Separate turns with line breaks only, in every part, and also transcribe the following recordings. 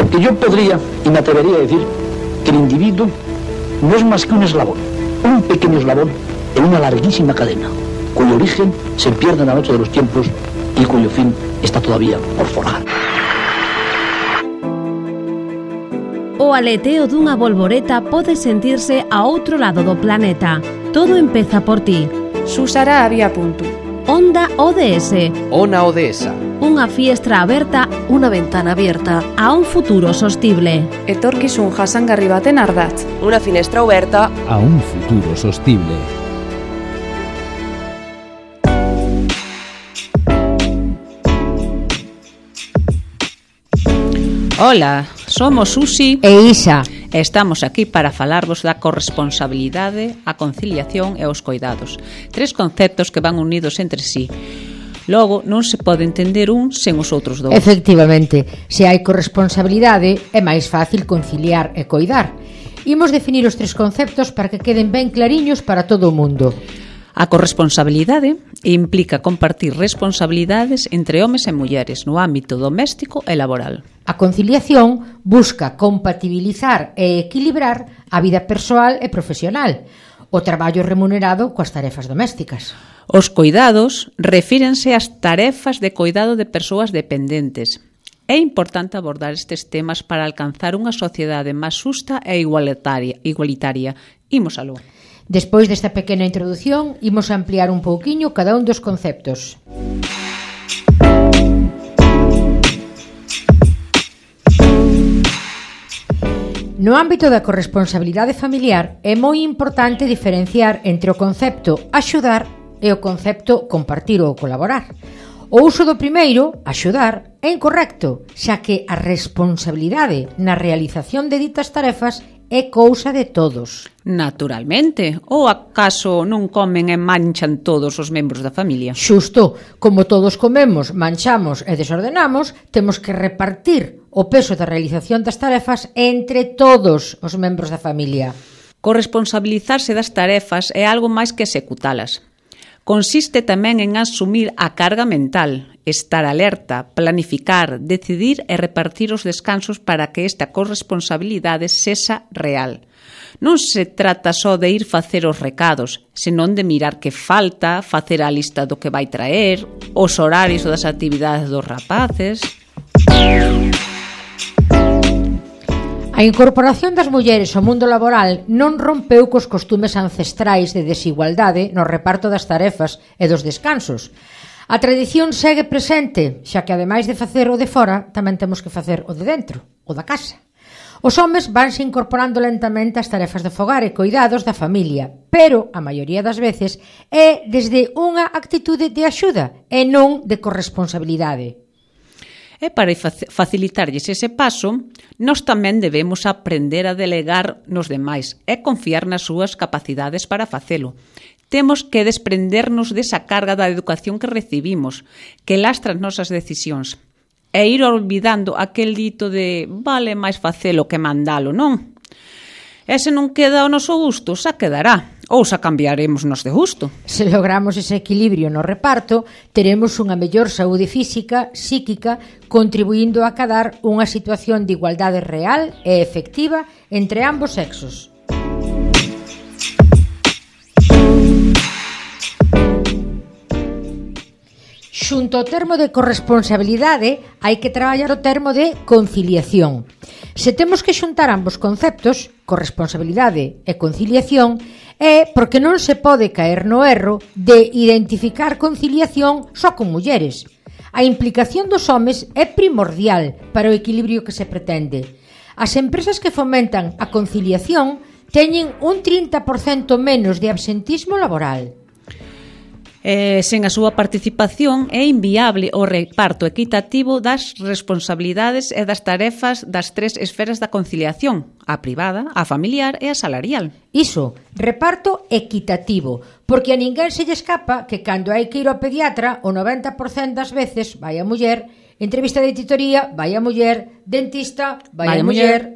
Porque yo podría y me atrevería a decir que el individuo no es más que un eslabón, un pequeño eslabón en una larguísima cadena, cuyo origen se pierde en la noche de los tiempos y cuyo fin está todavía por forjar.
O aleteo dunha bolboreta pode sentirse a outro lado do planeta. Todo empeza por ti.
Susara había punto.
Onda ODS.
Ona Odesa.
Unha fiestra aberta,
unha ventana abierta
a un futuro sostible.
Etorkizun jasangarri baten ardatz.
Unha finestra aberta
a un futuro sostible.
Ola, somos Susi
e Isa.
Estamos aquí para falarvos da corresponsabilidade, a conciliación e os coidados. 3 conceptos que van unidos entre sí. Logo, non se pode entender un sen os outros dous.
Efectivamente, se hai corresponsabilidade, é máis fácil conciliar e coidar. Imos definir os 3 conceptos para que queden ben clariños para todo o mundo.
A corresponsabilidade implica compartir responsabilidades entre homes e mulleres no ámbito doméstico e laboral.
A conciliación busca compatibilizar e equilibrar a vida persoal e profesional, o traballo remunerado coas tarefas domésticas.
Os coidados refírense ás tarefas de coidado de persoas dependentes. É importante abordar estes temas para alcanzar unha sociedade máis xusta e igualitaria. Imos aló.
Despois desta pequena introdución, imos ampliar un pouquiño cada un dos conceptos. No ámbito da corresponsabilidade familiar é moi importante diferenciar entre o concepto axudar e o concepto compartir ou colaborar. O uso do primeiro, axudar, é incorrecto, xa que a responsabilidade na realización de ditas tarefas é cousa de todos.
Naturalmente. Ou acaso non comen e manchan todos os membros da familia?
Xusto, como todos comemos, manchamos e desordenamos, temos que repartir o peso da realización das tarefas entre todos os membros da familia.
Corresponsabilizarse das tarefas é algo máis que executalas. Consiste tamén en asumir a carga mental, estar alerta, planificar, decidir e repartir os descansos para que esta corresponsabilidade sexa real. Non se trata só de ir facer os recados, senón de mirar que falta, facer a lista do que vai traer, os horarios das actividades dos rapaces.
A incorporación das mulleres ao mundo laboral non rompeu cos costumes ancestrais de desigualdade no reparto das tarefas e dos descansos. A tradición segue presente, xa que ademais de facer o de fora, tamén temos que facer o de dentro, o da casa. Os homes vanse incorporando lentamente ás tarefas de fogar e coidados da familia, pero, a maioría das veces, é desde unha actitude de axuda e non de corresponsabilidade.
E para facilitarlles ese paso, nós tamén debemos aprender a delegar nos demais e confiar nas súas capacidades para facelo. Temos que desprendernos desa carga da educación que recibimos, que lastra as nosas decisións, e ir olvidando aquel dito de vale máis facelo que mandalo, non? E se non queda ao noso gusto, xa quedará. Ou xa cambiaremos nos de gusto.
Se logramos ese equilibrio no reparto, teremos unha mellor saúde física, psíquica, contribuindo a acadar unha situación de igualdade real e efectiva entre ambos sexos. Xunto ao termo de corresponsabilidade, hai que traballar o termo de conciliación. Se temos que xuntar ambos conceptos, corresponsabilidade e conciliación, é porque non se pode caer no erro de identificar conciliación só con mulleres. A implicación dos homes é primordial para o equilibrio que se pretende. As empresas que fomentan a conciliación teñen un 30% menos de absentismo laboral.
Sen a súa participación é inviable o reparto equitativo das responsabilidades e das tarefas das 3 esferas da conciliación, a privada, a familiar e a salarial.
Iso, reparto equitativo, porque a ninguén se lle escapa que cando hai que ir ao pediatra, o 90% das veces vai a muller, entrevista de titoría, vai a muller, dentista, vai a muller.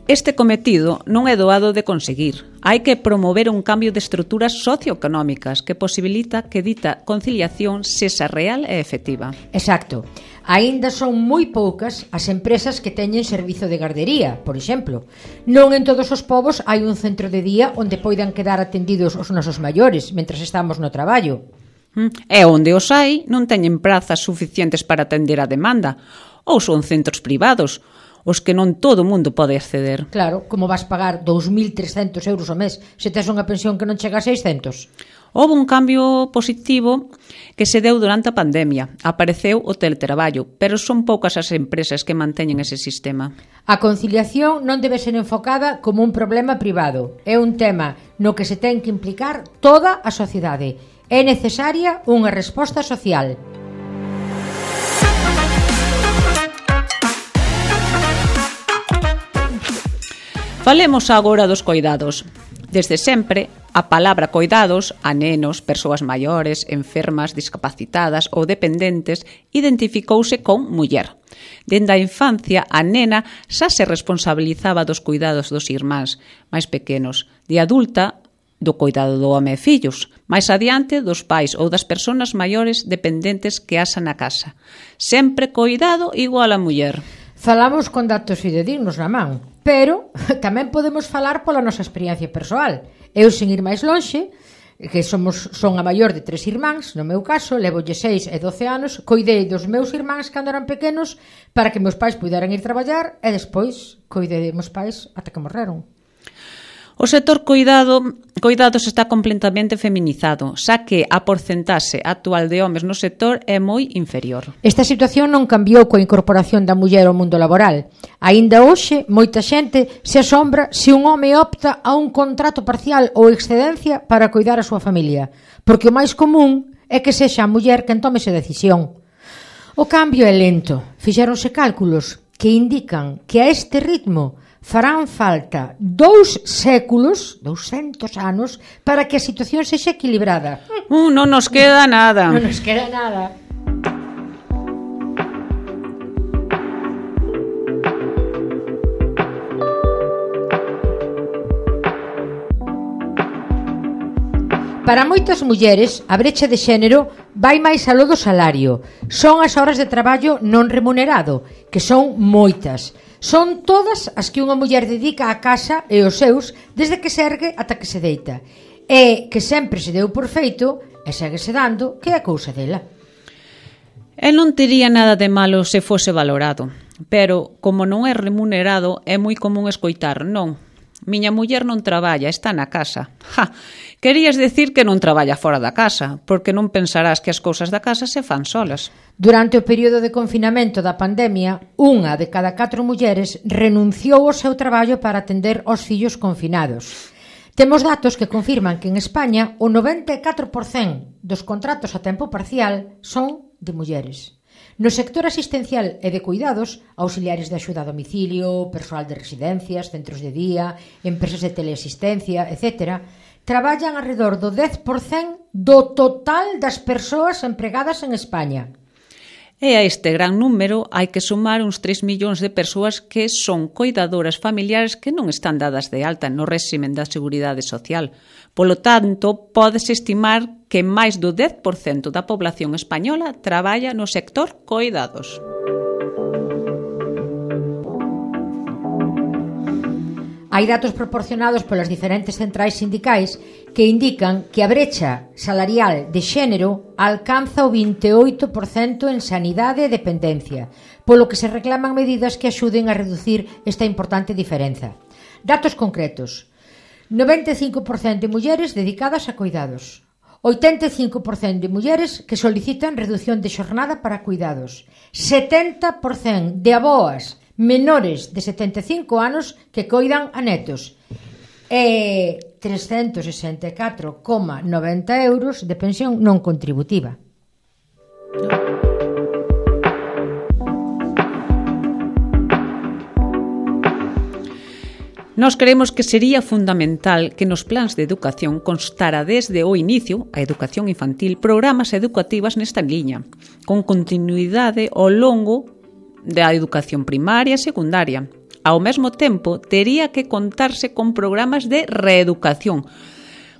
Este cometido non é doado de conseguir. Hai que promover un cambio de estruturas socioeconómicas que posibilita que dita conciliación sexa real e efectiva.
Exacto. Aínda son moi poucas as empresas que teñen servizo de gardería, por exemplo. Non en todos os povos hai un centro de día onde poidan quedar atendidos os nosos maiores mentras estamos no traballo.
E onde os hai non teñen prazas suficientes para atender a demanda, ou son centros privados, os que non todo o mundo pode acceder.
Claro, como vas pagar 2.300 euros ao mes se tes unha pensión que non chega a 600?
Houve un cambio positivo que se deu durante a pandemia. Apareceu o teletraballo, pero son poucas as empresas que manteñen ese sistema.
A conciliación non debe ser enfocada como un problema privado. É un tema no que se ten que implicar toda a sociedade. É necesaria unha resposta social.
Falemos agora dos coidados. Desde sempre, a palabra coidados a nenos, persoas maiores, enfermas, discapacitadas ou dependentes identificouse con muller. Dende a infancia, a nena xa se responsabilizaba dos cuidados dos irmáns máis pequenos. De adulta, do coidado do home e fillos. Máis adiante, dos pais ou das persoas maiores dependentes que asan na casa. Sempre coidado igual a muller.
Falamos con datos fidedignos na man, pero tamén podemos falar pola nosa experiencia persoal. Eu, sen ir máis lonxe, que son a maior de 3 irmáns, no meu caso, levolle 6 e 12 anos, coidei dos meus irmáns cando eran pequenos para que meus pais puderan ir traballar e despois coidei de meus pais ata que morreron.
O sector coidados está completamente feminizado, xa que a porcentaxe actual de homes no sector é moi inferior.
Esta situación non cambiou coa incorporación da muller ao mundo laboral. Aínda hoxe, moita xente se asombra se un home opta a un contrato parcial ou excedencia para coidar a súa familia, porque o máis común é que sexa a muller quen tome esa decisión. O cambio é lento. Fixéronse cálculos que indican que a este ritmo farán falta 2 séculos, 200 anos, para que a situación sexa equilibrada.
Non nos queda nada.
Non nos queda nada. Para moitas mulleres, a brecha de xénero vai máis aló do salario. Son as horas de traballo non remunerado, que son moitas. Son todas as que unha muller dedica á casa e aos seus desde que se ergue ata que se deita. E que sempre se deu por feito e séguese dando que é cousa dela.
E non tería nada de malo se fose valorado, pero como non é remunerado é moi común escoitar non. Miña muller non traballa, está na casa. Querías decir que non traballa fora da casa, porque non pensarás que as cousas da casa se fan solas.
Durante o período de confinamento da pandemia, 1 de cada 4 mulleres renunciou ao seu traballo para atender aos fillos confinados. Temos datos que confirman que en España o 94% dos contratos a tempo parcial son de mulleres. No sector asistencial e de cuidados, auxiliares de axuda a domicilio, persoal de residencias, centros de día, empresas de teleasistencia, etc., traballan alrededor do 10% do total das persoas empregadas en España.
E a este gran número hai que sumar uns 3 millóns de persoas que son coidadoras familiares que non están dadas de alta no réximen da Seguridade Social. Polo tanto, pódese estimar que máis do 10% da población española traballa no sector coidados.
Hai datos proporcionados polas diferentes centrais sindicais que indican que a brecha salarial de xénero alcanza o 28% en sanidade e dependencia, polo que se reclaman medidas que axuden a reducir esta importante diferenza. Datos concretos: 95% de mulleres dedicadas a cuidados, 85% de mulleres que solicitan reducción de xornada para cuidados, 70% de aboas menores de 75 anos que coidan a netos e 364,90 euros de pensión non contributiva.
Nós creemos que sería fundamental que nos plans de educación constara desde o inicio, a educación infantil, programas educativas nesta liña, con continuidade ao longo da educación primaria e secundaria. ao mesmo tempo, tería que contarse con programas de reeducación,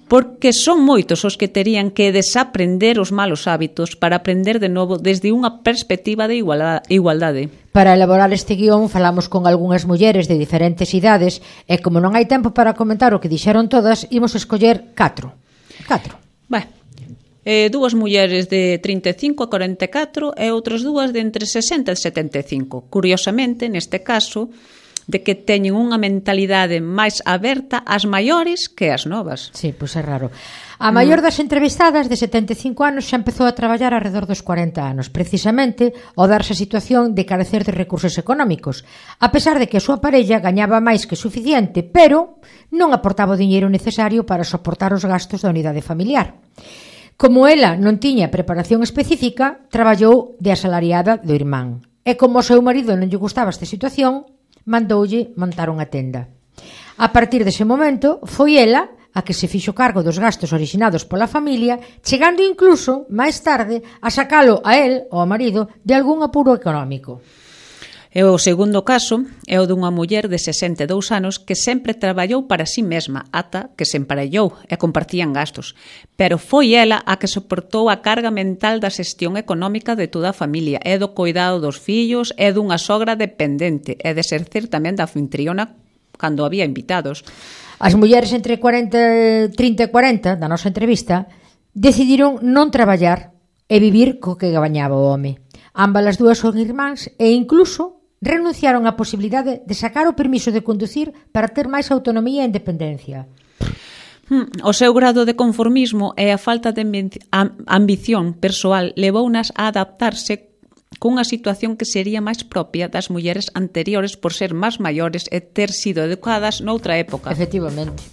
porque son moitos os que terían que desaprender os malos hábitos para aprender de novo desde unha perspectiva de igualdade.
Para elaborar este guión falamos con algunhas mulleres de diferentes idades e como non hai tempo para comentar o que dixeron todas, imos escoller 4.
Dúas mulleres de 35 a 44 e outras dúas de entre 60 e 75. Curiosamente, neste caso, de que teñen unha mentalidade máis aberta ás maiores que ás novas.
Sí, pois é raro. A maior das entrevistadas, de 75 anos, xa empezou a traballar alrededor dos 40 anos, precisamente ao darse a situación de carecer de recursos económicos, a pesar de que a súa parella gañaba máis que suficiente, pero non aportaba o diñeiro necesario para soportar os gastos da unidade familiar. Como ela non tiña preparación específica, traballou de asalariada do irmán. E como ao seu marido non lle gustaba esta situación, mandoulle montar unha tenda. A partir dese momento, foi ela a que se fixo cargo dos gastos originados pola familia, chegando incluso, máis tarde, a sacalo a él, ou ao marido, de algún apuro económico.
E o segundo caso é o dunha muller de 62 anos que sempre traballou para si mesma ata que se emparellou e compartían gastos. Pero foi ela a que soportou a carga mental da xestión económica de toda a familia e do cuidado dos fillos e dunha sogra dependente e de exercer tamén da anfitriona cando había invitados.
As mulleres entre 30 e 40 da nosa entrevista decidiron non traballar e vivir co que gañaba o home. Ambas as dúas son irmáns e incluso renunciaron á posibilidade de sacar o permiso de conducir para ter máis autonomía e independencia.
O seu grado de conformismo e a falta de ambición persoal levounas a adaptarse cunha situación que sería máis propia das mulleres anteriores por ser máis maiores e ter sido educadas noutra época.
Efectivamente.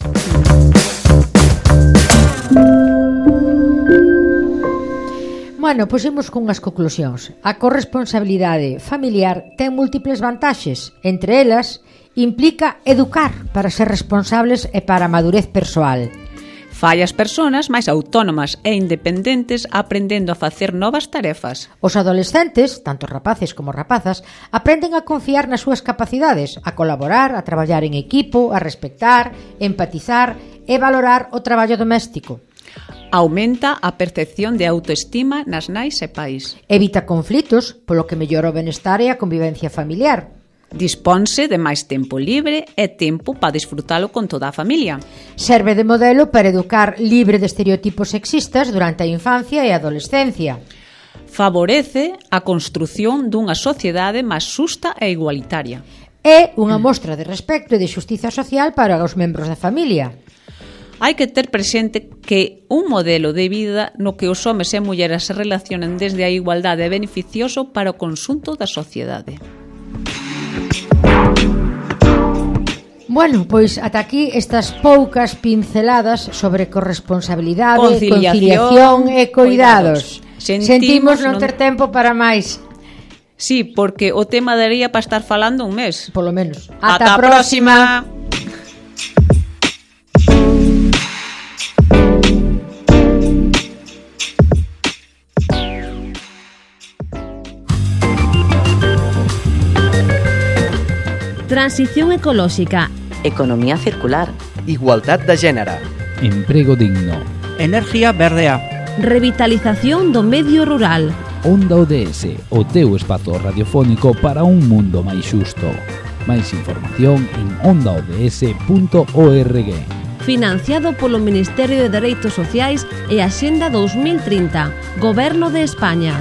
Bueno, pois imos cunhas conclusións. A corresponsabilidade familiar ten múltiples vantaxes. Entre elas, implica educar para ser responsables e para a madurez persoal.
Fai as persoas máis autónomas e independentes aprendendo a facer novas tarefas.
Os adolescentes, tanto rapaces como rapazas, aprenden a confiar nas súas capacidades, a colaborar, a traballar en equipo, a respectar, empatizar e valorar o traballo doméstico.
Aumenta a percepción de autoestima nas nais e pais.
Evita conflitos, polo que mellora o benestar e a convivencia familiar.
Disponse de máis tempo libre e tempo para disfrutalo con toda a familia.
Serve de modelo para educar libre de estereotipos sexistas durante a infancia e a adolescencia.
Favorece a construción dunha sociedade máis xusta e igualitaria.
É unha mostra de respecto e de xustiza social para os membros da familia.
Hai que ter presente que un modelo de vida no que os homes e mulleres se relacionan desde a igualdade é beneficioso para o conxunto da sociedade.
Bueno, pois ata aquí estas poucas pinceladas sobre corresponsabilidade, conciliación e cuidados. Sentimos non ter tempo para máis.
Sí, porque o tema daría para estar falando un mes.
Polo menos.
Ata a próxima.
Transición ecolóxica,
Economía circular.
Igualdad de género.
Emprego digno.
Energía verdea.
revitalización do medio rural.
Onda ODS, o teu espazo radiofónico para un mundo máis xusto. Máis información en ondaods.org.
Financiado polo Ministerio de Dereitos Sociais e Axenda 2030, Goberno de España.